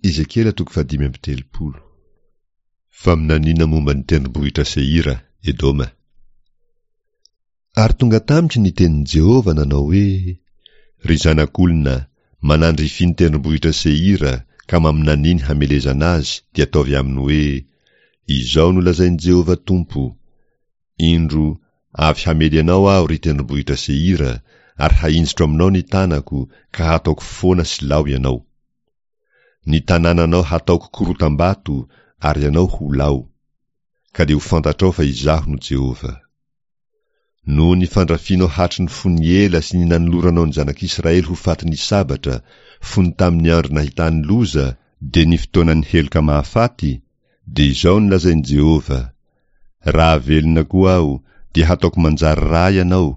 Ezekiela toko fahadimy amby telopolo. Faminaniana momba ny tendrombohitra Seira, Edoma. Ary tonga tamiko ny tenin'i Jehovah nanao hoe, Ry zanak'olona, manandrify ny tendrombohitra Seira ka maminania ny hamelezana azy, dia ataovy aminy hoe, Izao no lazain'i Jehovah Tompo, Indro, avy hamely anao Aho, ry tendrombohitra Seira, ary hahinjitro aminao ny tanako, ka hataoko foana sy lao ianao. Ny tanànanao hataoko korotam-bato, ary ianao ho lao. Ka dia ho fantatrao fa Izaho no Jehovah. Noho ny fandrafianao hatry ny fony ela sy ny nanoloranao ny zanak'Israely ho fatin'ny sabatra, fony tamin'ny andro nahitany loza, dia ny fotoanan'ny heloka mahafaty, dia izao no lazain'i Jehovah, Raha velona koa Aho, dia hataoko manjary ra ianao,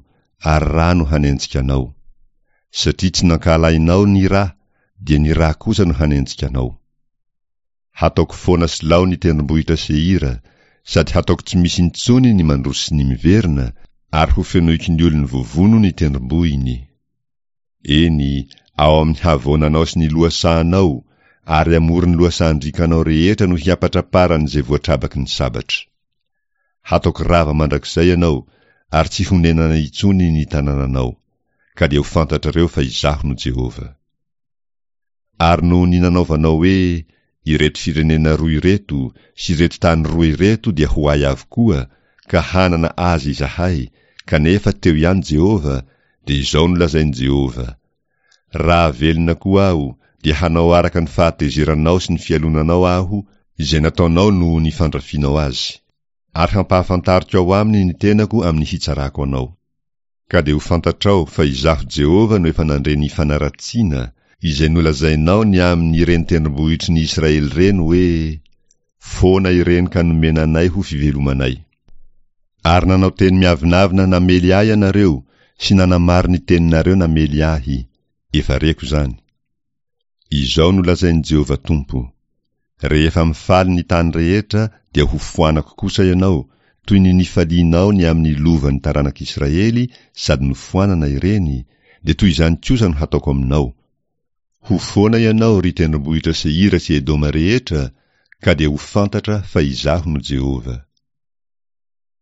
ary ra no hanenjika anao. Satria tsy nankahalainao ny ra, dia ny ra kosa no hanenjika anao. Hataoko foana sy lao ny tendrombohitra Seira, sady hataoko tsy misy intsony ny mandroso sy ny miverina, ary hofenoiko ny olony voavono ny tendrombohiny. Eny, ao amin'ny havoananao sy ny lohasahanao, ary amoron'ny lohasahan-driakanao rehetra no hiampatraparan'izay voatrabaky ny sabatra. Hataoko rava mandrakizay ianao, ary tsy honenana intsony ny tanànanao, ka dia ho fantatrareo fa Izaho no Jehovah. Ary noho ny nanaovanao hoe, Ireto firenena roa ireto sy ireto tany roa ireto dia ho ahy avokoa, ka hanana azy izahay, kanefa teo ihany Jehovah, dia izao no lazain'i Jehovah, Raha velona koa Aho, dia hanao araka ny fahatezeranao sy ny fialonanao Aho, izay nataonao noho ny fandrafianao azy. Ary hampahafantariko ao aminy ny tenako amin'ny hitsarako anao. Ka dia ho fantatrao fa Izaho Jehovah no efa nandre ny fanaratsiana, izay nolazainao ny amin' ireny tendrombohitry ny Israely ireny hoe, Foana ireny ka nomena anay ho fivelomanay. Ary nanao teny miavonavona namely ahy ianareo sy nanamaro ny teninareo namely ahy, efa reko izany. Izao no lazain'i Jehovah Tompo, Rehefa mifaly ny tany rehetra dia hofoanako kosa ianao, toy ny nifalianao ny amin'ny lovan'ny taranak'Israely sady nofoanana ireny, dia toy izany kosa no hataoko aminao. Ho foana ianao, ry tendrombohitra Seira sy Edoma rehetra, ka dia ho fantatra fa Izaho no Jehovah.